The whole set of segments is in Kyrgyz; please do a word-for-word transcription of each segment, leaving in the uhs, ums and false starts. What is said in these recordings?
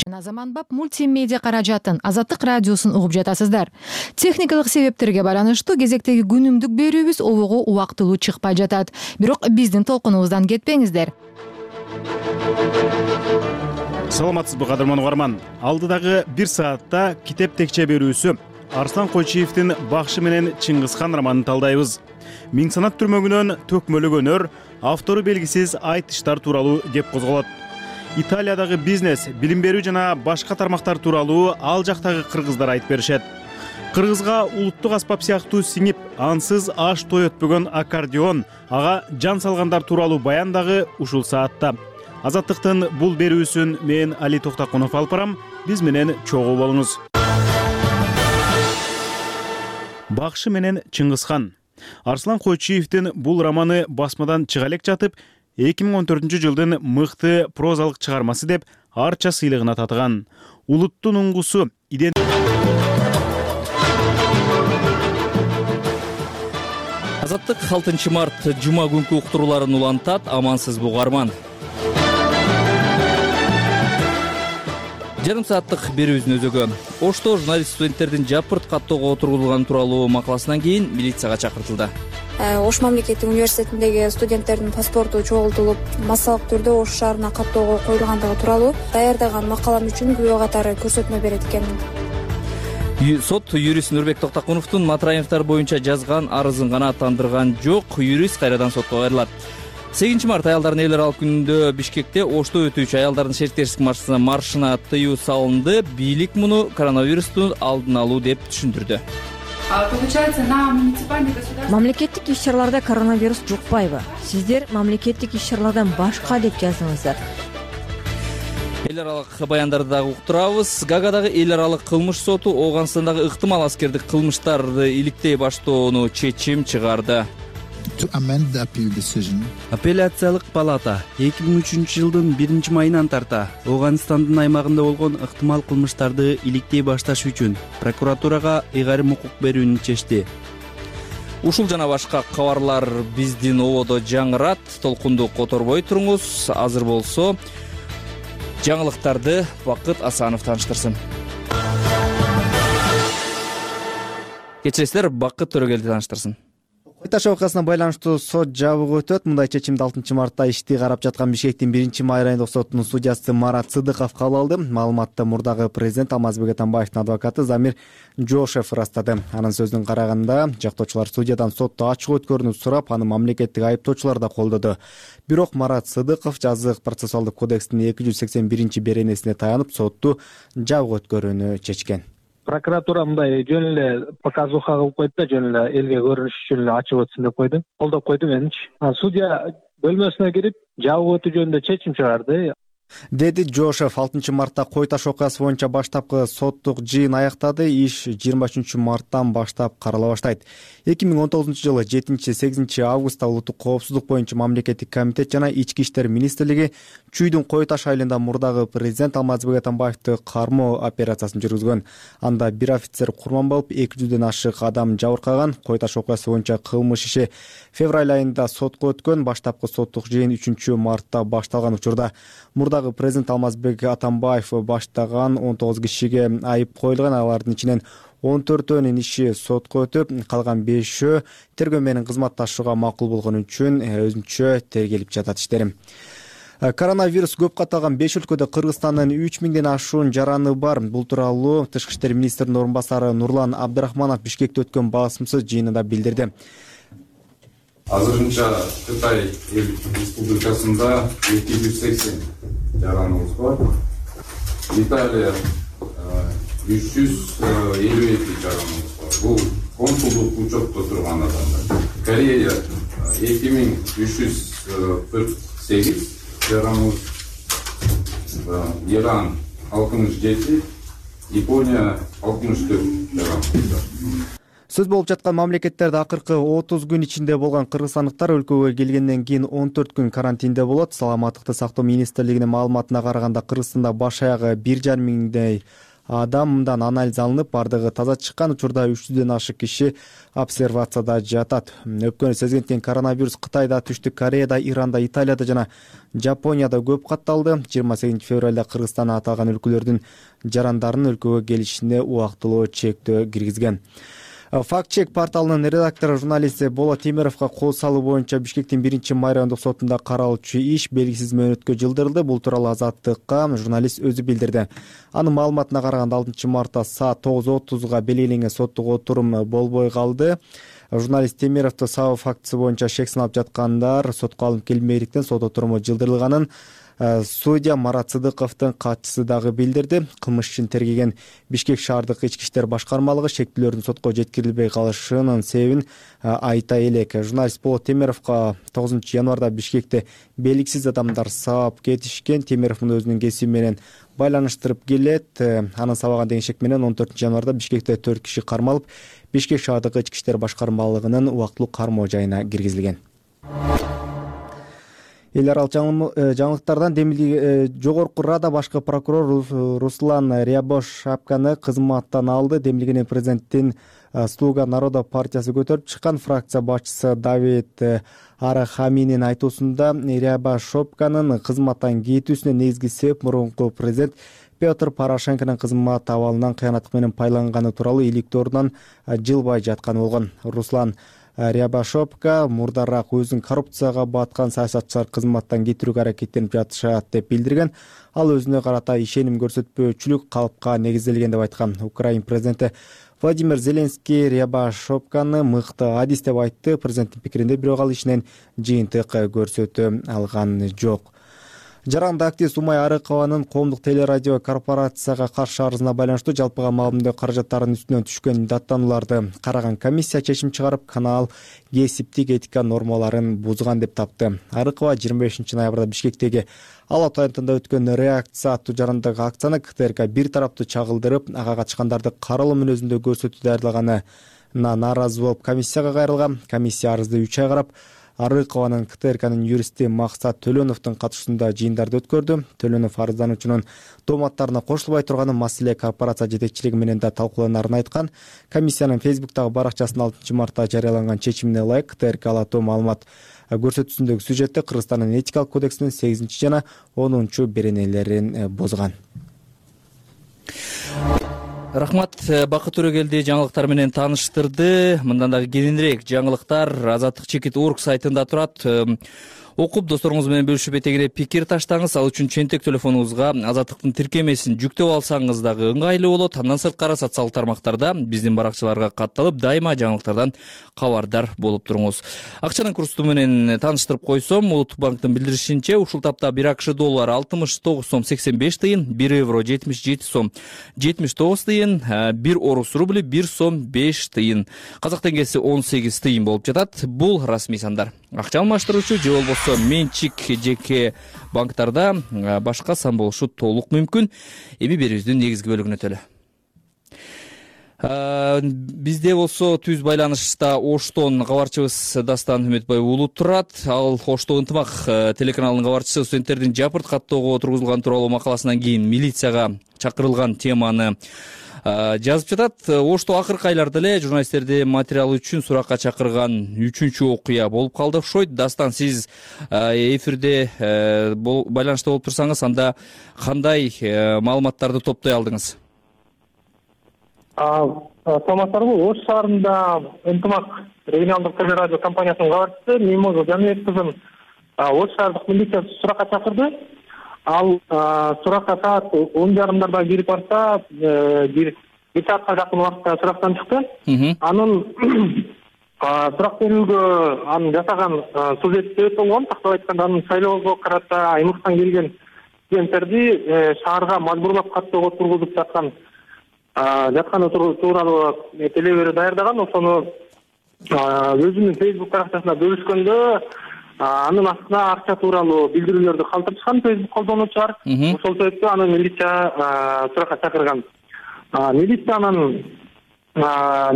Заманбап мультимедиа каражатын Азаттык радиосун угуп жатасыздар. Техникалык себептерге байланыштуу кезектеги күнүмдүк берүүбүз обого убактылуу чыкпай жатат. Бирок биздин толкунубуздан кетпеңиздер. Саламатсызбы кадырман угарман. Алдыдагы бир саатта китеп текче берүүсү Арслан Койчиевдин Бакшы менен Чыңгызхан романын талдайбыз. Миң санат түрмөгүнөн төкмөлүк өнөр, автору белгисиз айтыштар тууралуу кеп козголот. Италиядагы бизнес, билим берүү жана башка тармактар тууралуу ал жактагы кыргыздар айтып беришет. Кыргызга улуттук аспап сыяктуу сиңип, ансыз аш той өтпөгөн аккордеон, ага жан салгандар тууралуу баян дагы ушул саатта. Азаттыктын бул берүүсүн мен Али Токтакунов алып барам. Биз менен чогуу болуңуз. Бакшы менен Чыңгызхан. Арслан Койчиевдин бул романы басмадан чыга элек жатып, эки миң он төртүнчү жылдын мыкты прозалык чыгармасы деп арча сыйлыгына татыган. Улуттун уңгусу иден Азаттык алтынчы март жума күнкү уктурууларын улантат. Амансыз угарман. Жарым сааттык берүүбүздүн өзөгү. Ошто журналист студенттердин жапырт каттоого отургузулганы тууралуу макаласынан кийин милицияга чакыртылды. Ош мамлекеттик университетиндеги студенттердин паспорту чогултулуп, массалык түрдө Ош шаарына каттоого коюлгандыгы тууралуу даярдаган макалам үчүн күбө катары көрсөтмө берет экенмин. Сот юрист Нурбек Токтакуновдун Матраевдер боюнча жазган арызын гана аттандырган жок. Юрист кайрадан сотко кайрылат. сегизинчи март аялдардын эл аралык күнүндө Бишкекте Ошто өтүүчү аялдардын шериктешсиздик маршына тыюу салынды. Бийлик муну коронавирустун алдын алуу деп түшүндүрдү. Мамлекеттик иш-чараларда коронавирус жукпайбы? Сиздер мамлекеттик иш-чаралардан башка деп жаздыңыздар. Эл аралык баяндарды дагы уктурабыз. Гаагадагы эл аралык кылмыш соту Ооганстандагы ыктымал аскердик кылмыштарды иликтей баштоону чечим чыгарды. Апелляциялык палата эки миң үчүнчү жылдын биринчи майынан тарта Ооганстандын аймагында болгон ыктымал кылмыштарды иликтей башташ үчүн прокуратурага ыйгарым укук берүүнү чечти. Ушул жана башка кабарлар биздин ободо жаңырат. Толкунду которбой туруңуз. Азыр болсо жаңылыктарды Бакыт Асанов тааныштырсын. Кечиресиздер, Бакыт Төрөгелди тааныштырсын. Кой таш окуясына байланыштуу сот жабыгы өтөт. Мындай чечимди алтынчы мартта ишти карап жаткан Бишкектин биринчи май райондук сотунун судьясы Марат Сыдыков кабыл алды. Маалыматты мурдагы президент Алмазбек Атамбаевдин адвокаты Замир Жошев ырастады. Анын сөзүнө караганда, жактоочулар судьядан сотто ачык өткөрүүнү сурап, аны мамлекеттик айыптоочулар да колдоду. Бирок Марат Сыдыков жазык процессуалдык кодекстин эки жүз сексен биринчи беренесине таянып, сотту жабык өткөрүүнү чечкен. Прокуратура мындай жөн эле показуха кылып койду да, жөн эле элге көрүнүш үчүн эле ачып өтсүн деп койду. Колдоп койду меничи. Судья бөлмөсүнө кирип жабык өтүү жөнүндө чечим чыгарды, деди Жошев. алтынчы мартта Кой таш окуясы боюнча баштапкы соттук жыйын аяктады. Иш жыйырма үчүнчү марттан баштап карала баштайт. эки миң он тогузунчу жылы жетинчи сегизинчи августта улуттук коопсуздук боюнча мамлекеттик комитет жана ички иштер министрлиги Чүйдүн Кой таш айылында мурдагы президент Алмазбек Атамбаевди кармоо операциясын жүргүзгөн. Анда бир офицер курман болуп, эки жүздөн ашык адам жабыркаган. Кой таш окуясы боюнча кылмыш иши февраль айында сотко өткөн. Баштапкы соттук жыйын үчүнчү мартта башталган учурда мурдагы президент Алмазбек Атамбаев баштаган он тогуз кишиге айып коюлган. Алардын ичинен он төртөөнүн иши сотко өтүп, калган бешөө тергөө менен кызматташууга макул болгон үчүн өзүнчө тергелип жатат иштерим. Коронавирус көп катталган беш өлкөдө Кыргызстандын үч миңден ашуун жараны бар. Бул тууралуу Тышкы иштер министринин орун басары Нурлан Абдрахманов Бишкекте өткөн басымсыз жыйынында билдирди. Азырынча Кытай Республикасында эки жүз сексен жараныбыз бар. Италия үч жүз элүү эки жараныбыз бар. Бул консулдук учетто турган адамдар. Корея эки миң үч жүз кырк сегиз жараныбыз, Иран алтымыш жети, Япония алтымыш төрт жараныбыз бар. Сөз болуп жаткан мамлекеттерде акыркы отуз күн ичинде болгон кыргызстандыктар өлкөгө келгенден кийин он төрт күн карантинде болот. Саламаттыкты сактоо министрлигинин маалыматына караганда Кыргызстанда баш аягы бир жарым миңдей адам мындан анализ алынып, бардыгы таза чыккан. Учурда үч жүздөн ашык киши обсервацияда жатат. Өпкөнү сезген коронавирус Кытайда, Түштүк Кореяда, Иранда, Италияда жана Жапонияда көп катталды. жыйырма сегизинчи февралда Кыргызстан аталган өлкөлөрдүн жарандарынын өлкөгө келишине убактылуу чектөө киргизген. Факт чек порталынын редактору журналист Болот Темировго кол салуу боюнча Бишкектин биринчи май райондук сотунда каралуучу иш белгисиз мөөнөткө жылдырылды. Бул тууралуу Азаттыкка журналист өзү билдирди. Анын маалыматына караганда алтынчы мартта саат тогуз отузга белгиленген соттук отурум болбой калды. Журналист Темировду сабоо фактысы боюнча шек сыналып жаткандар сотко алынып келбегендиктен сот отуруму жылдырылганын судья Марат Сыдыковдун катчысы дагы билдирди. Кылмыш ишин тергеген Бишкек шаардык ички иштер башкармалыгы шектүүлөрдүн сотко жеткирилбей калышынын себебин айта элек. Журналист Болот Темировго тогузунчу январда Бишкекте белгисиз адамдар сабап кетишкен. Темиров муну өзүнүн кесиби менен байланыштырып келет. Анын сабаган деген шек менен он төртүнчү январда Бишкекте төрт киши кармалып, Бишкек шаардык ички иштер башкармалыгынын убактылуу кармоо жайына киргизилген. Эл аралык жаңылыктардан Демилдиги жогорку Рада башкы прокурор Руслан Рябошапканы кызматтан алды. Демилдигинин президенттин Слуга народа партиясы көтөрүп чыккан. Фракция башчысы Давид Арахаминин айтуусунда Рябошапканын кызматтан кетүүсүнө негизги себеп мурунку президент Петр Порошенконун кызмат абалынан кыянаттык менен пайланганы тууралуу иликтөө ордунан жылбай жатканы болгон. Руслан Рябошапка мурдараак өзүн коррупцияга баткан саясатчылар кызматтан кетирүүгө аракеттенип жатышат деп билдирген. Ал өзүнө карата ишеним көрсөтпөөчүлүк калыпка негизделген деп айткан. Украина президенти Владимир Зеленский Рябошапканы мыкты адис деп айтты. Президенттин пикиринде бирок ал ишинен жыйынтык көрсөтө алган жок. Жаранды активист Умай Арыкованын коомдук телерадио корпорацияга каршы арызына байланыштуу жалпыга маалымдоо каражаттарынын үстүнөн түшкөн даттанууларды караган комиссия чечим чыгарып, канал кесиптик этика нормаларын бузган деп тапты. Арыкова жыйырма бешинчи ноябрда Бишкектеги Ала аянтында өткөн реакция аттуу жарандык акцияны КТРК бир тараптуу чагылдырып, ага катышкандарды каралоо мүнөзүндө көрсөтүү даярдлаганына нааразы болуп комиссияга кайрылган. Комиссия арызды үч ай карап, Арыкованын КТРКнын юристи Максат Төлөновдун катышуусунда жыйындарды өткөрдү. Төлөнов арыздануучунун дооматтарына кошулбай турганы маселе корпорация жетекчилиги менен да талкууланарын айткан. Комиссиянын Фейсбуктагы баракчасында алтынчы мартта жарыяланган чечимине ылайык КТРК алатуу маалымат көрсөтүүсүндөгү сюжетте Кыргызстандын этикалык кодексинин сегизинчи жана онунчу беренелерин бузган. Рахмат, Бакыт Төрөгелди жаңылыктар менен тааныштырды. Мындан дагы кененирээк жаңылыктар Азаттык чекит орг сайтында турат. Окуп досторуңуз менен бөлүшүп этегине пикир таштаңыз. Ал үчүн чентек телефонуңузга Азаттыктын тиркемесин жүктөп алсаңыз дагы ыңгайлуу болот. Андан сырткары социалдык тармактарда биздин баракчаларга катталып, дайыма жаңылыктардан кабардар болуп туруңуз. Акчанын курсу менен тааныштырып койсом, Улуттук банктын билдиришинче, ушул тапта бир АКШ доллары алтымыш тогуз сом сексен беш тыйын, бир евро жетимиш жети сом жетимиш тогуз тыйын, бир орус рубли бир сом беш тыйын, казак теңгеси он сегиз тыйын болуп жатат. Бул расмий сандар. Акча алмаштыруучу же болбосо менчик жеке банктарда башка сан болушу толук мүмкүн. Эми берүүбүздүн негизги бөлүгүнө өтөлү. Бизде болсо түз байланышта Оштон кабарчыбыз Дастан Үмүтбай уулу турат. Ал Ошто ынтымак телеканалынын кабарчысы студенттердин жапырт каттоого тургузулган тууралуу макаласынан кийин милицияга чакырылган теманы жазып жатат. Ошто акыркы айларда эле журналисттерди материал үчүн суракка чакырган үчүнчү окуя болуп калды окшойт. Дастан, сиз эфирде байланышта болуп турсаңыз, анда кандай маалыматтарды топтой алдыңыз? Саламатсыздарбы? Ош шаарында ынтымак регионалдык телерадио компаниясынын кабарчысы Мимоза Жаныбек кызын Ош шаардык милиция суракка чакырды. Ал суракка саат он жарымдарда кирип барса, бир саатка жакын убакытта сурактан чыкты. Анын сурак берүүгө анын жасаган сюжети өтө болгон. Тактап айтканда, анын шайлоого карата аймактан келген студенттерди шаарга мажбурлап каттоого тургузуп жаткан жатканы тууралуу телеберүү даярдаган. Ошону өзүнүн Facebook баракчасында бөлүшкөндө анын астына акча тууралуу билдирүүлөрдү калтырышкан Facebook колдонуучулар. Ошол себептен аны милиция суракка чакырган. Милициянын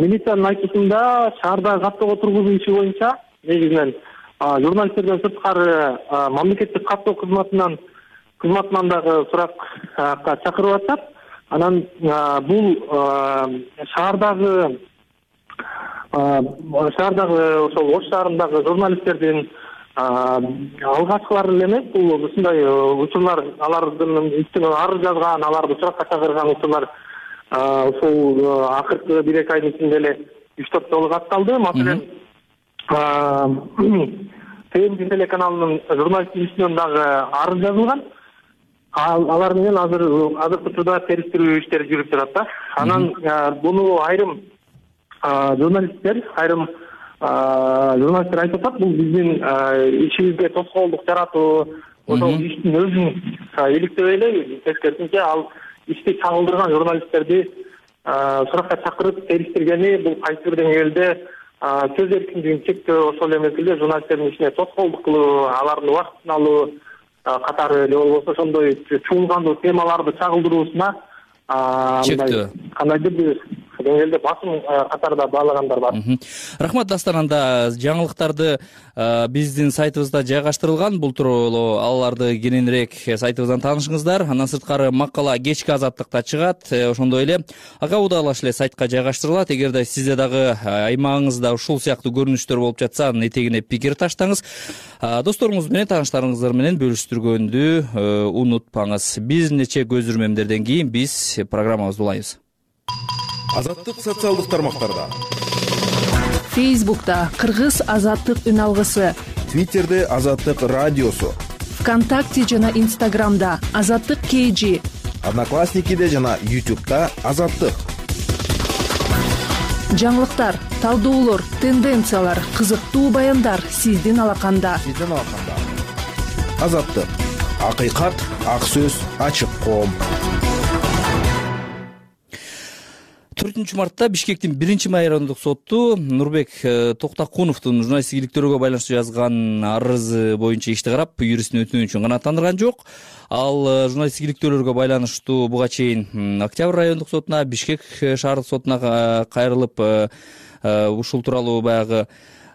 милициянын айтуусунда шаарда каттоого тургузуу иши боюнча негизинен журналисттерден сырткары мамлекеттик каттоо кызматынан кызматынан дагы суракка чакырып атышат. Анан бул шаардагы шаардагы ошол Ош шаарындагы журналисттердин алгачкылары эле эмес, бул ушундай учурлар, алардын үстүнө арыз жазган, аларды суракка чакырган учурлар ушул акыркы бир эки айдын ичинде эле үч төрт жолу катталды. Маселен, ТМ телеканалынын журналисттик ишинен дагы арыз жазылган. Алар менен азыр азыркы учурда териштирүү иштери жүрүп жатат да. Анан буну айрым журналисттер, айрым журналисттер айтып атат, бул биздин ишибизге тоскоолдук жаратуу, ошол иштин өзүн иликтебей эле, тескерисинче ал ишти чагылдырган журналисттерди суракка чакырып териштиргени, бул кайсы бир деңгээлде сөз эркиндигин чектөө, ошол эле мезгилде журналисттердин ишине тоскоолдук кылуу, алардын убактын алуу катары же болбосо ошондой чуулгандуу темаларды чагылдыруусуна чектөө кандайдыр бир деңгээлде басым катарда баалагандар бар. Рахмат Дастан. Анда жаңылыктарды биздин сайтыбызда жайгаштырылган. Бул тууралуу аларды кененирээк сайтыбыздан таанышыңыздар. Андан сырткары макала кечки Азаттыкта чыгат. Ошондой эле ага удалаш эле сайтка жайгаштырылат. Эгерде сизде дагы аймагыңызда ушул сыяктуу көрүнүштөр болуп жатса, анын этегине пикир таштаңыз. Досторуңуз менен, тааныштарыңыздар менен бөлүштүргөндү унутпаңыз. Бир нече көз ирмемдерден кийин биз программабызды улайбыз. Азаттык социалдык тармактарда. Фейсбукта Кыргыз Азаттык үн алгысы, Твиттерде Азаттык радиосу, ВКонтакте жана Инстаграмда Азаттык кей жи, Одноклассникиде жана Ютубта Азаттык. Жаңылыктар, талдоолор, тенденциялар, кызыктуу баяндар сиздин алаканда. Сиздин алаканда. Азаттык. Акыйкат, ак сөз, ачык коом. төртүнчү мартта Бишкектин биринчи райондук соту Нурбек Токтакуновдун журналисттик иликтөөргө байланыштуу жазган арызы боюнча ишти карап, юристтин өтүнүшүн үчүн канааттандырган жок. Ал журналисттик иликтөөлөргө байланыштуу буга чейин Октябрь райондук сотуна, Бишкек шаардык сотуна кайрылып, ушул тууралуу баягы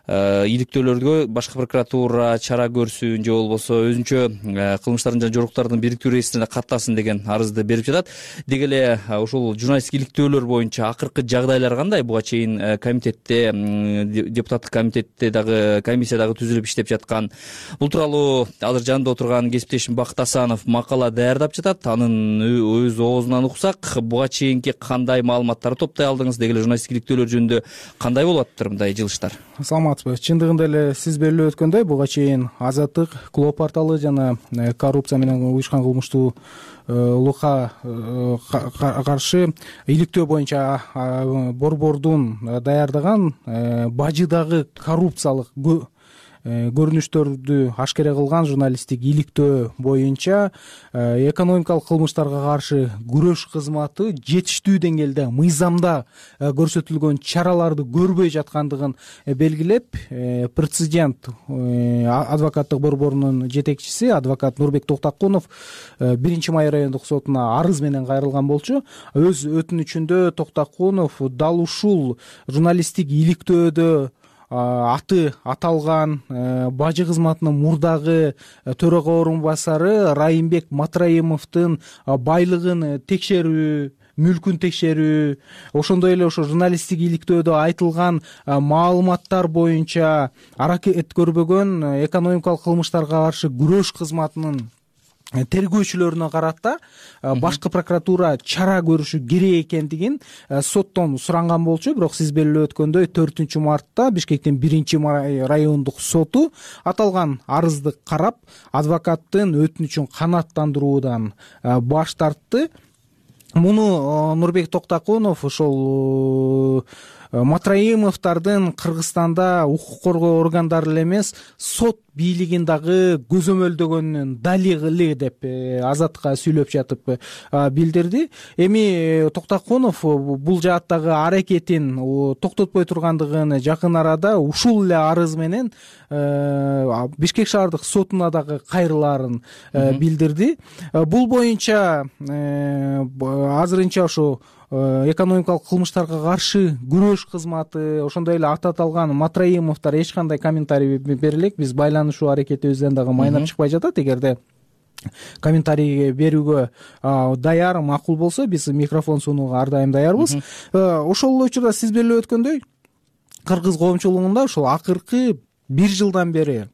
иликтөөлөргө башкы прокуратура чара көрсүн же болбосо өзүнчө кылмыштардын жана жоруктардын бириктүү реестрине каттасын деген арызды берип жатат. Деги эле ушул журналисттик иликтөөлөр боюнча акыркы жагдайлар кандай? Буга чейин комитетте, депутаттык комитетте дагы комиссия дагы түзүлүп иштеп жаткан. Бул тууралуу азыр жанында отурган кесиптешим Бакыт Асанов макала даярдап жатат. Анын өз оозунан уксак, буга чейинки кандай маалыматтарды топтой алдыңыз? Деги эле журналисттик иликтөөлөр жөнүндө кандай болуп атыптыр мындай жылыштар? Чындыгында эле сиз белгилеп өткөндөй, буга чейин Азаттык, Клоо порталы жана коррупция менен уюшкан кылмыштуулукка каршы иликтөө боюнча борбордун даярдаган бажыдагы коррупциялык көрүнүштөрдү ашкере кылган журналисттик иликтөө боюнча экономикалык кылмыштарга каршы күрөш кызматы жетиштүү деңгээлде мыйзамда көрсөтүлгөн чараларды көрбөй жаткандыгын белгилеп, президент адвокаттык борборунун жетекчиси адвокат Нурбек Токтакунов биринчи май райондук сотуна арыз менен кайрылган болчу. Өз өтүнүчүндө Токтакунов дал ушул журналисттик иликтөөдө аты аталган бажы кызматынын мурдагы төрага орун басары Райымбек Матраимовдун байлыгын текшерүү, мүлкүн текшерүү, ошондой эле ошо журналисттик иликтөөдө айтылган маалыматтар боюнча аракет көрбөгөн экономикалык кылмыштарга каршы күрөш кызматынын тергөөчүлөрүнө карата башкы прокуратура чара көрүшү керек экендигин соттон суранган болчу. Бирок сиз белгилеп өткөндөй төртүнчү мартта Бишкектин биринчи райондук соту аталган арызды карап, адвокаттын өтүнүчүн канааттандыруудан баш тартты. Муну Нурбек Токтакунов ошол Матраимовдордун Кыргызстанда укук коргоо органдары эле эмес, сот бийлигин дагы көзөмөлдөгөнүн далили деп Азатка сүйлөп жатып билдирди. Эми Токтакунов бул жааттагы аракетин токтотпой тургандыгын жакын арада ушул эле арыз менен Бишкек шаардык сотуна дагы кайрылаарын билдирди. Бул боюнча азырынча ошо экономикалык кылмыштарга каршы күрөш кызматы, ошондой эле аты аталган Матраимовдор эч кандай комментарий бере элек. Биз байланышуу аракетибизден дагы майнап чыкпай жатат. Эгерде комментарий берүүгө даяр, макул болсо биз микрофон сунууга ар дайым даярбыз. Ошол эле учурда сиз белип өткөндөй кыргыз коомчулугунда ушул акыркы бир жылдан бери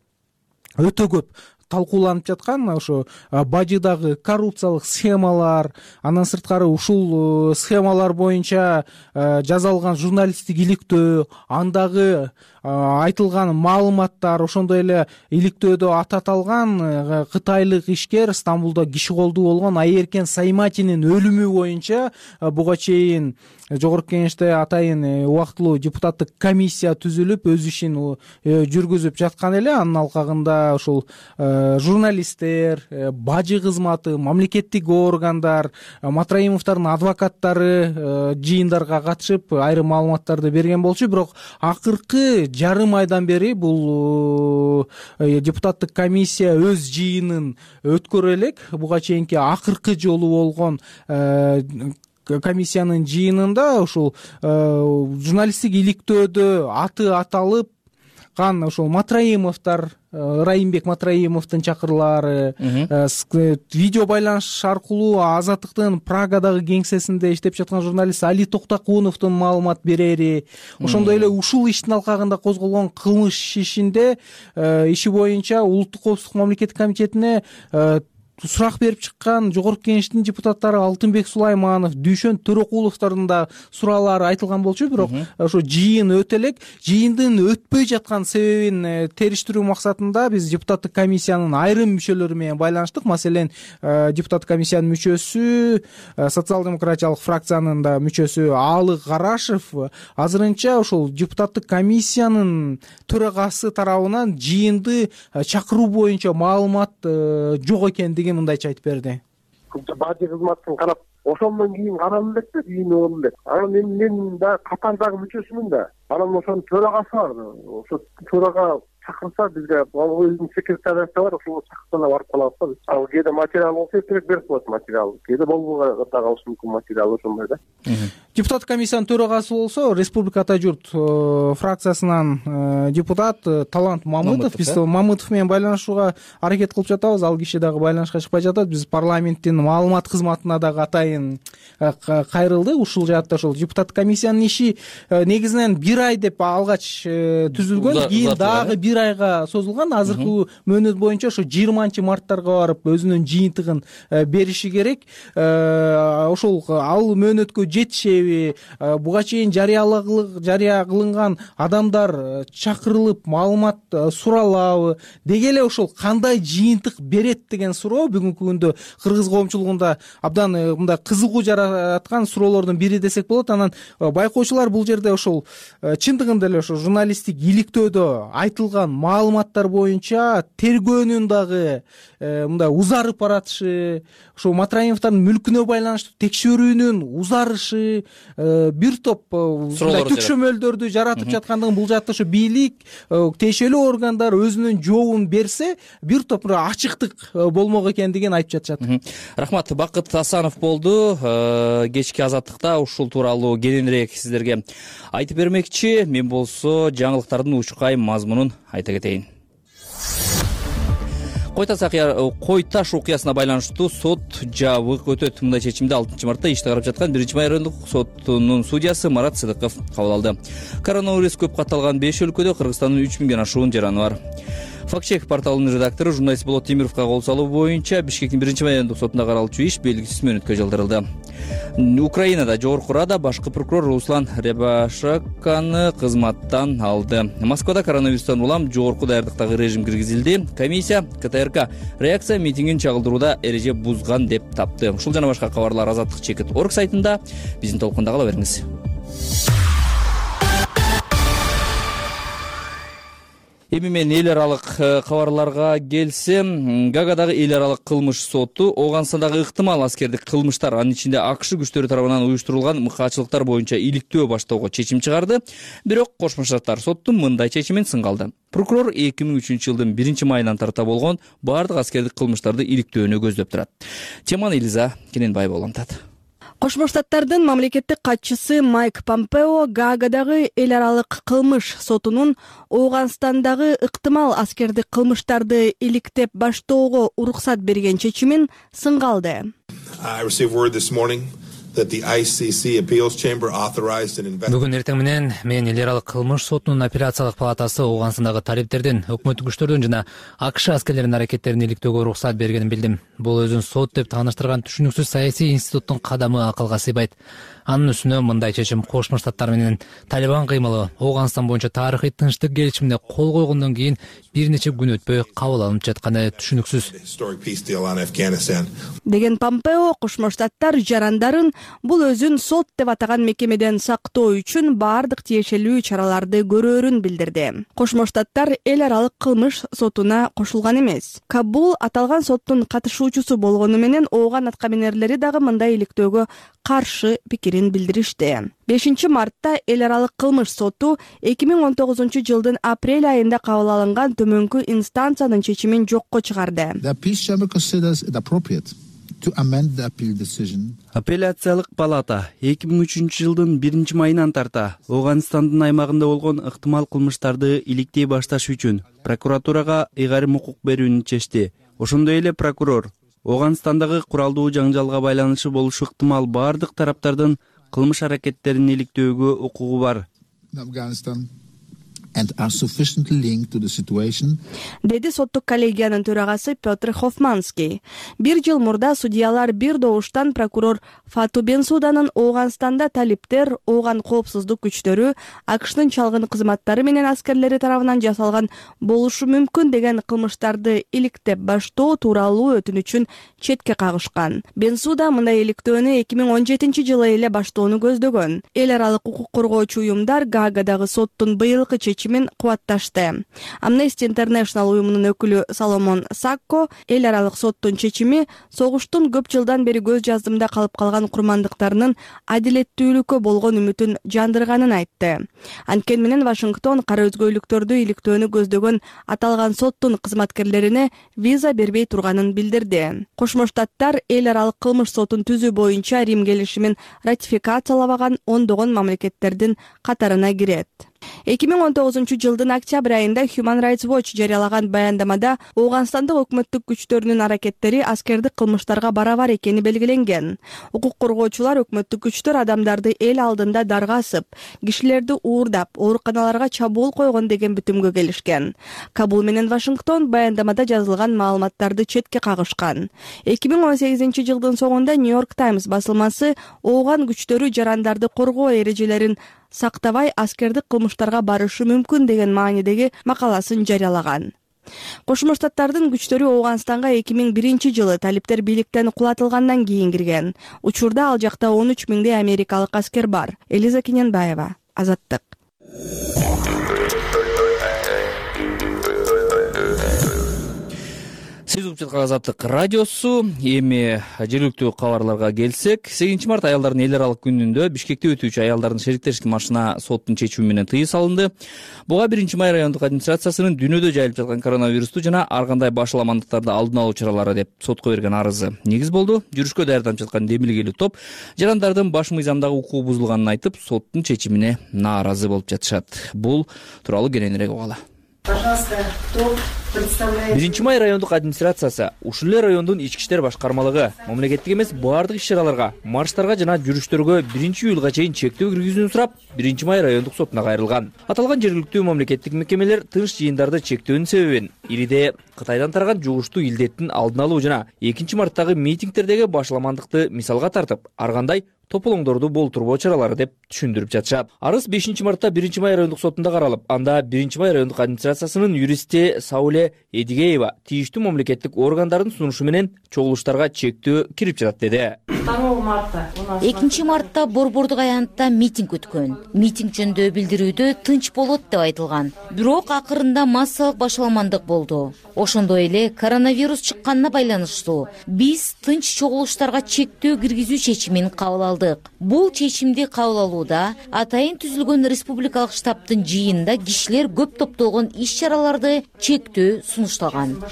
өтө көп талкууланып жаткан ошо бажыдагы коррупциялык схемалар, андан сырткары ушул схемалар боюнча жасалган журналисттик иликтөө, андагы айтылган маалыматтар, ошондой эле иликтөөдө аты аталган кытайлык ишкер Стамбулда киши колдуу болгон Айеркен Сайматинин өлүмү боюнча буга чейин Жогорку Кеңеште атайын убактылуу депутаттык комиссия түзүлүп өз ишин жүргүзүп жаткан эле. Анын алкагында ушул журналисттер, бажы кызматы, мамлекеттик органдар, Матраимовдордун адвокаттары жыйындарга катышып айрым маалыматтарды берген болчу. Бирок акыркы жарым айдан бери бул депутаттык комиссия өз жыйынын өткөрө элек. Буга чейинки акыркы жолу болгон комиссиянын жыйынында ушул журналисттик иликтөөдө аты аталып кан ошол Матраимовдор, Райымбек Матраимовдун чакырлары видео байланыш аркылуу Азаттыктын Прагадагы кеңсесинде иштеп жаткан журналист Али Токтокуновдун маалымат берери, ошондой эле ушул иштин алкагында козголгон кылмыш ишинде иши боюнча Улуттук коопсуздук мамлекеттик комитетине сурак берип чыккан Жогорку Кеңештин депутаттары Алтынбек Сулайманов, Дүйшөн Төрөкуловдордун да суроолору айтылган болчу. Бирок ошо жыйын өтө элек. Жыйындын өтпөй жаткан себебин териштирүү максатында биз депутаттык комиссиянын айрым мүчөлөрү менен байланыштык. Маселен, депутаттык комиссиянын мүчөсү, социал-демократиялык фракциянын да мүчөсү Аалы Карашев азырынча ошол депутаттык комиссиянын төрагасы тарабынан жыйынды чакыруу боюнча маалымат жок экендигин мындайча айтып берди. Бажы кызматын карап, ошондон кийин каралып элек да, жыйын болду элек. Анан мен мен да катардагы мүчөсүмүн да. Анан ошонун төрагасы бар. Ошо төрага чакырса бизге өзүнүн секретариясы бар, ошого чакырсана барып калабыз да биз. Ал кээде материал болсо эртерээк берип коет материал. Кээде болбой да калышы мүмкүн материал ошондой да. Депутаттык комиссиянын төрагасы болсо Республика Ата журт фракциясынан депутат Талант Мамытов. Биз Мамытов менен байланышууга аракет кылып жатабыз. Ал киши дагы байланышка чыкпай жатат. Биз парламенттин маалымат кызматына дагы атайын кайрылдык. Ушул жаатта ошол депутаттык комиссиянын иши негизинен бир ай деп алгач түзүлгөн, кийин дагы бир айга созулган. Азыркы мөөнөт боюнча ошо жыйырманчы марттарга барып өзүнүн жыйынтыгын бериши керек. Ошол ал мөөнөткө жетишеби, буга чейин жарыя кылынган адамдар чакырылып маалымат суралабы, деги эле ошол кандай жыйынтык берет деген суроо бүгүнкү күндө кыргыз коомчулугунда абдан мындай кызыгуу жараткан суроолордун бири десек болот. Анан байкоочулар бул жерде ошол чындыгында эле ошо журналисттик иликтөөдө айтылган маалыматтар боюнча тергөөнүн дагы мындай узарып баратышы, ошо Матраимовдордун мүлкүнө байланыштуу текшерүүнүн узарышы, бир топ мындай түкшөмөлдөрдү жаратып жаткандыгын, бул жакта ошо бийлик, тиешелүү органдар өзүнүн жообун берсе, бир топ ачыктык болмок экендигин айтып жатышат. Рахмат. Бакыт Асанов болду. Кечки Азаттыкта ушул тууралуу кененирээк сиздерге айтып бермекчи. Мен болсо жаңылыктардын учкай мазмунун айта кетейин. Кой таш окуясына байланыштуу сот жабык өтөт. Мындай чечимди алтынчы мартта ишти карап жаткан биринчи райондук сотунун судьясы Марат Сыдыков кабыл алды. Коронавирус көп катталган беш өлкөдө Кыргызстандын үч миңден ашуун жараны бар. Фактчек порталынын редактору журналист Болот Темировго кол салуу боюнча Бишкектин биринчи райондук сотунда каралчу иш белгисиз мөөнөткө жылдырылды. Украинада Жогорку Рада башкы прокурор Руслан Рябашаканы кызматтан алды. Москвада коронавирустан улам жогорку даярдыктагы режим киргизилди. Комиссия КТРК реакция митингин чагылдырууда эреже бузган деп тапты. Ушул жана башка кабарлар азаттык чекит точка орг сайтында. Биздин толкунда кала бериңиз. Эми мен эл аралык кабарларга келсем, Гаагадагы эл аралык кылмыш соту Ооганстандагы ыктымал аскердик кылмыштар, анын ичинде АКШ күчтөрү тарабынан уюштурулган мыкаачылыктар боюнча иликтөө баштоого чечим чыгарды. Бирок Кошмо Штаттар соттун мындай чечимин сынга алды. Прокурор эки миң үчүнчү жылдын биринчи майынан тарта болгон баардык аскердик кылмыштарды иликтөөнү көздөп турат. Теманы Элиза Кененбаева улантат. Кошмо Штаттардын мамлекеттик катчысы Майк Помпео Гаагадагы эл аралык кылмыш сотунун Ооганстандагы ыктымал аскердик кылмыштарды иликтеп баштоого уруксат берген чечимин сынга алды. Бүгүн эртең менен мен эл аралык кылмыш сотунун апелляциялык палатасы Ооганстандагы талиптердин, өкмөттүк күчтөрдүн жана АКШ аскерлеринин аракеттерин иликтөөгө уруксат бергенин билдим. Бул өзүн сот деп тааныштырган түшүнүксүз саясий институттун кадамы акылга сыйбайт. Анын үстүнө мындай чечим Кошмо Штаттар менен Талибан кыймылы Ооганстан боюнча тарыхый тынчтык келишимине кол койгондон кийин бир нече күн өтпөй кабыл алынып жатканы түшүнүксүз деген Помпео Кошмо Штаттар жарандарын бул өзүн сот деп атаган мекемеден сактоо үчүн баардык тиешелүү чараларды көрөөрүн билдирди. Кошмо Штаттар эл аралык кылмыш сотуна кошулган эмес. Кабул аталган соттун катышуучусу болгону менен Ооган аткаминерлери дагы мындай иликтөөгө каршы пикирин билдиришти. бешинчи мартта эл аралык кылмыш соту эки миң он тогузунчу жылдын апрель айында кабыл алынган төмөнкү инстанциянын чечимин жокко чыгарды. Апелляциялык палата эки миң үчүнчү жылдын биринчи майынан тарта Ооганстандын аймагында болгон ыктымал кылмыштарды иликтей башташ үчүн прокуратурага ыйгарым укук берүүнү чечти. Ошондой эле прокурор Ооганстандагы куралдуу жаңжалга байланышы болушу ыктымал баардык тараптардын кылмыш аракеттерин иликтөөгө укугу бар деди соттук коллегиянын төрагасы Петр Хофманский. Бир жыл мурда судьялар бир добуштан прокурор Фату Бенсуданын Ооганстанда талиптер, Ооган коопсуздук күчтөрү, АКШнын чалгын кызматтары менен аскерлери тарабынан жасалган болушу мүмкүн деген кылмыштарды иликтеп баштоо тууралуу өтүнүчүн четке кагышкан. Бенсуда мындай иликтөөнү эки миң он жетинчи жылы эле баштоону көздөгөн. Эл аралык укук коргоочу уюмдар Гаагадагы соттун быйылкы чечимин кубатташты. Amnesty International уюмунун өкүлү Соломон Сакко эл аралык соттун чечими согуштун көп жылдан бери көз жаздымда калып калган курмандыктарынын адилеттүүлүккө болгон үмүтүн жандырганын айтты. Анткени менен Вашингтон кара өзгөйлүктөрдү иликтөөнү көздөгөн аталган соттун кызматкерлерине виза бербей турганын билдирди. Кошмо Штаттар эл аралык кылмыш сотун түзүү боюнча Рим келишимин ратификациялабаган ондогон мамлекеттердин катарына кирет. эки миң он тогузунчу жылдын октябрь айында Human Rights Watch жарыялаган баяндамада Ооганстандык өкмөттүк күчтөрүнүн аракеттери аскердик кылмыштарга барабар экени белгиленген. Укук коргоочулар өкмөттүк күчтөр адамдарды эл алдында даргасып, кишилерди уурдап, ооруканаларга чабуул койгон деген бүтүмгө келишкен. Кабул менен Вашингтон баяндамада жазылган маалыматтарды четке кагышкан. эки миң он сегизинчи жылдын соңунда Нью-Йорк Таймс басылмасы Ооган күчтөрү жарандарды коргоо эрежелерин сактабай аскердик кылмыштарга барышы мүмкүн деген маанидеги макаласын жарыялаган. Кошмо Штаттардын күчтөрү Ооганстанга эки миң биринчи жылы талиптер бийликтен кулатылгандан кийин кирген. Учурда ал жакта он үч миңдей америкалык аскер бар. Элиза Кененбаева, Азаттык. Сиз угуп жаткан Азаттык радиосу. Эми жергиликтүү кабарларга келсек, сегизинчи март аялдардын эл аралык күнүндө Бишкекте өтүүчү аялдардын шериктешик маршына соттун чечими менен тыюу салынды. Буга биринчи май райондук администрациясынын дүйнөдө жайылып жаткан коронавирусту жана ар кандай башаламандыктарды алдын алуу чаралары деп сотко берген арызы негиз болду. Жүрүшкө даярданып жаткан демилгелүү топ жарандардын баш мыйзамдагы укугу бузулганын айтып, соттун чечимине нааразы болуп жатышат. Бул тууралуу кененирээк угалы. Пожалуйста, кто представляет? биринчи май райондук администрациясы, ушул эле райондун ички иштер башкармалыгы мамлекеттик эмес баардык иш-чараларга, марштарга жана жүрүштөргө биринчи июлга чейин чектөө киргизүүнү сурап, биринчи май райондук сотуна кайрылган. Аталган жергиликтүү мамлекеттик мекемелер тынч жыйындарды чектөөнүн себебин ириде Кытайдан тараган жугуштуу илдеттин алдын алуу жана экинчи марттагы митингдердеги башаламандыкты мисалга тартып, ар кандай тополоңдорду болтурбоо чаралары деп түшүндүрүп жатышат. Арыз бешинчи мартта биринчи май райондук сотунда каралып, анда биринчи май райондук администрациясынын юристи Сауле Эдигеева тийиштүү мамлекеттик органдардын сунушу менен чогулуштарга чектөө кирип жатат деди. второго марта экинчи мартта Борбордук аянтта митинг өткөн. Митинг жөнүндө билдирүүдө тынч болот деп айтылган. Бирок акырында массалык башаламандык болду. Ошондой эле коронавирус чыкканына байланыштуу биз тынч чогулуштарга чектөө киргизүү чечимин кабыл алдык. Бул чечимди кабыл алууда атайын түзүлгөн республикалык штабтын жыйынында кишилер көп топтолгон иш-чараларды чектөө сунушталган.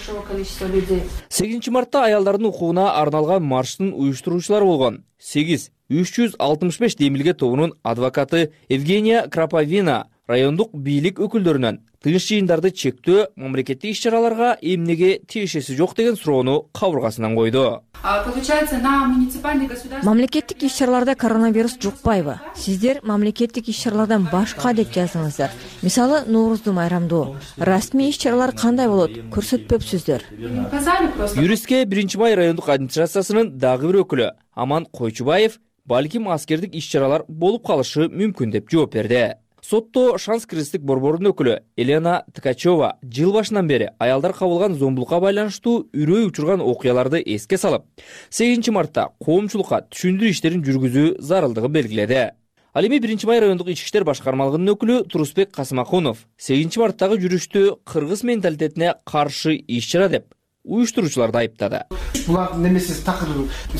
сегизинчи мартта аялдардын укугуна арналган марштын уюштуруучулары болгон сегиз үч жүз алтымыш беш демилге тобунун адвокаты Евгения Краповина райондук бийлик өкүлдөрүнөн тынч жыйындарды чектөө мамлекеттик иш-чараларга эмнеге тиешеси жок деген суроону кабыргасынан койду. Мамлекеттик иш-чараларда коронавирус жукпайбы? Сиздер мамлекеттик иш-чаралардан башка деп жаздыңыздар. Мисалы, Нооруздуу майрамдоо. Расмий иш-чаралар кандай болот? Көрсөтпөпсүздөр. Юристке биринчи май райондук администрациясынын дагы бир өкүлү Аман Койчубаев балким аскердик иш-чаралар болуп калышы мүмкүн деп жооп берди. Сотто Шанс кыргыздык борборунун өкүлү Елена Ткачева жыл башынан бери аялдар кабылган зомбулукка байланыштуу үрөй учурган окуяларды эске салып, сегизинчи мартта коомчулукка түшүндүрүү иштерин жүргүзүү зарылдыгын белгиледи. Ал эми биринчи май райондук ички иштер башкармалыгынын өкүлү Турусбек Касымахунов сегизинчи марттагы жүрүштү кыргыз менталитетине каршы иш-чара деп уюштуруучуларды айыптады. Булардын немеси такыр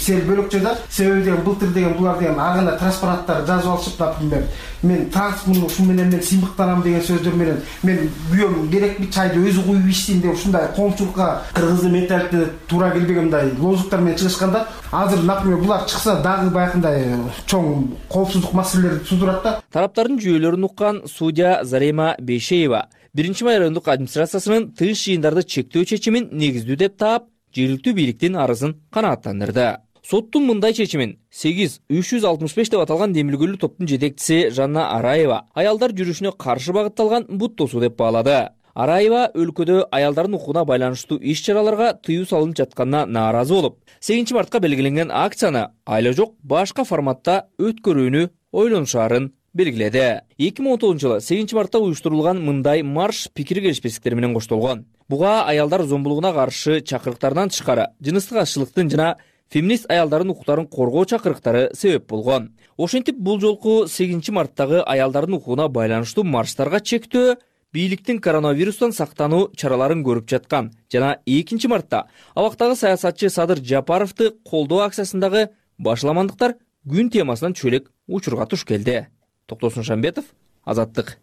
сел бөлөкчө да. Себеби деген былтыр деген булар деген агына транспаранттар жазып алышып, например, мен трансмун ушун менен мен сыймыктанам деген сөздөр менен мен күйөөм керекпи чайды өзү куюп ичсин деп ушундай коомчулукка кыргыздын менталитетине туура келбеген мындай лозунгдар менен чыгышканда, азыр, например, булар чыкса дагы баягындай чоң коопсуздук маселелерди туудурат да. Тараптардын жүйөлөрүн уккан судья Зарема Бейшеева биринчи май райондук администрациясынын тынч жыйындарды чектөө чечимин негиздүү деп таап, жергиликтүү бийликтин арызын канааттандырды. Соттун мындай чечимин сегиз үч жүз алтымыш беш деп аталган демилгөлүү топтун жетекчиси Жанна Араева аялдар жүрүшүнө каршы багытталган бут тосуу деп баалады. Араева өлкөдө аялдардын укугуна байланыштуу иш-чараларга тыюу салынып жатканына нааразы болуп, сегизинчи мартка белгиленген акцияны айла жок башка форматта өткөрүүнү ойлонушаарын белгиледи. эки миң он тогузунчу жылы сегизинчи мартта уюштурулган мындай марш пикир келишпестиктер менен коштолгон. Буга аялдар зомбулугуна каршы чакырыктардан тышкары жыныстык азчылыктын жана феминист аялдардын укуктарын коргоо чакырыктары себеп болгон. Ошентип бул жолку сегизинчи марттагы аялдардын укугуна байланыштуу марштарга чектөө бийликтин коронавирустан сактануу чараларын көрүп жаткан жана экинчи мартта абактагы саясатчы Садыр Жапаровду колдоо акциясындагы башаламандыктар күн темасынан чөлөк учурга туш келди. Токтосун Шамбетов, Азаттык.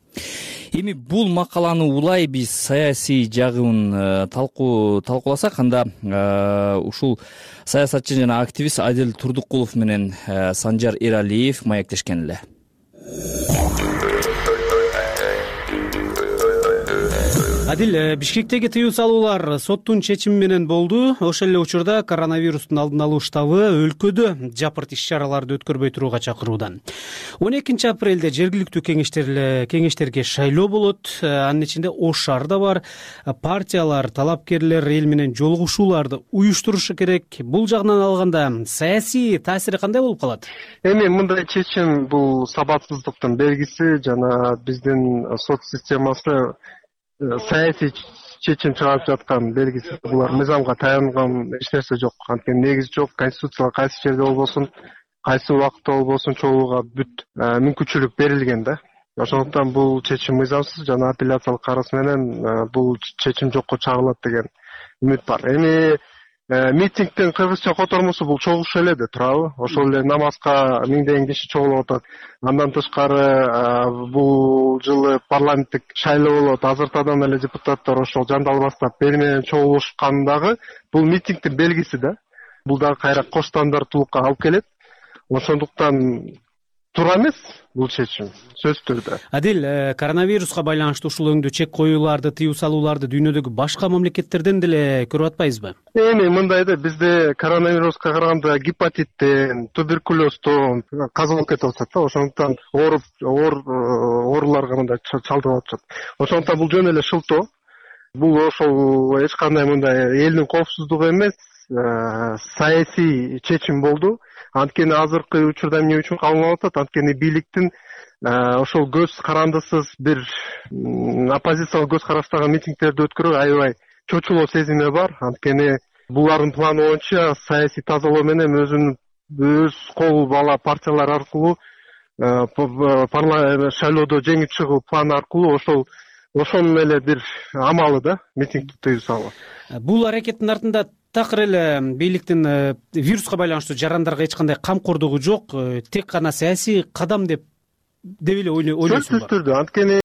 Эми бул макаланы улай биз саясий жагын талкуу талкууласак, анда ушул саясатчы жана активист Адил Турдукулов менен Санжар Эралиев маектешкен эле. Адил, Бишкектеги тыюу салуулар соттун чечими менен болду. Ошол эле учурда коронавирустун алдын алуу штабы өлкөдө жапырт иш-чараларды өткөрбөй турууга чакыруудан. он экинчи апрелде жергиликтүү кеңештер кеңештерге шайлоо болот. Анын ичинде Ош шаары да бар. Партиялар, талапкерлер эл менен жолугушууларды уюштурушу керек. Бул жагынан алганда саясий таасири кандай болуп калат? Эми мындай чечим бул сабатсыздыктын белгиси жана биздин сот системасы саясий чечим чыгарып жаткан белгиси. Булар мыйзамга таянган эч нерсе жок. Анткени негиз жок. Конституцияга кайсы жерде болбосун, кайсы убакытта болбосун чогууга бүт мүмкүнчүлүк берилген да. Ошондуктан бул чечим мыйзамсыз жана апелляциялык карыз менен бул чечим жокко чыгарылат деген үмүт бар. Эми митингдин кыргызча котормосу бул чогулуш эле де турабы? Ошол эле намазга миңдеген киши чогулуп атат. Андан тышкары бул жылы парламенттик шайлоо болот. Азыртадан эле депутаттар ошол жандалбастап бери менен чогулушкандагы бул митингдин белгиси да. Бул дагы кайра коштандыртуулукка алып келет. Ошондуктан туура эмес бул чечим, сөзсүз түрдө. Адил, коронавируска байланыштуу ушул өңдүү чек коюуларды, тыюу салууларды дүйнөдөгү башка мамлекеттерден деле көрүп атпайбызбы? Эми мындай да, бизде коронавируска караганда гепатиттен, туберкулездон каза болуп кетип атат да. Ошондуктан ооруп, оор ооруларга мындай чалдыгып атышат. Ошондуктан бул жөн эле шылтоо. Бул ошол эч кандай мындай элдин коопсуздугу эмес, саясий чечим болду. Анткени азыркы учурда эмне үчүн кабылып атат? Анткени бийликтин ошол көз карандысыз бир оппозициялык көз караштагы митингдерди өткөрүү аябай чочулоо сезими бар. Анткени булардын планы боюнча саясий тазалоо менен өзүнүн өз кол бала партиялар аркылуу парламент шайлоодо жеңип чыгуу планы аркылуу ошол ошонун эле бир амалы да митингди тыюу салуу. Бул аракеттин артында такыр эле бийликтин вируска байланыштуу жарандарга эч кандай камкордугу жок, тек гана саясий кадам деп деп эле ойлойсуңбу? Сөзсүз түрдө. Анткени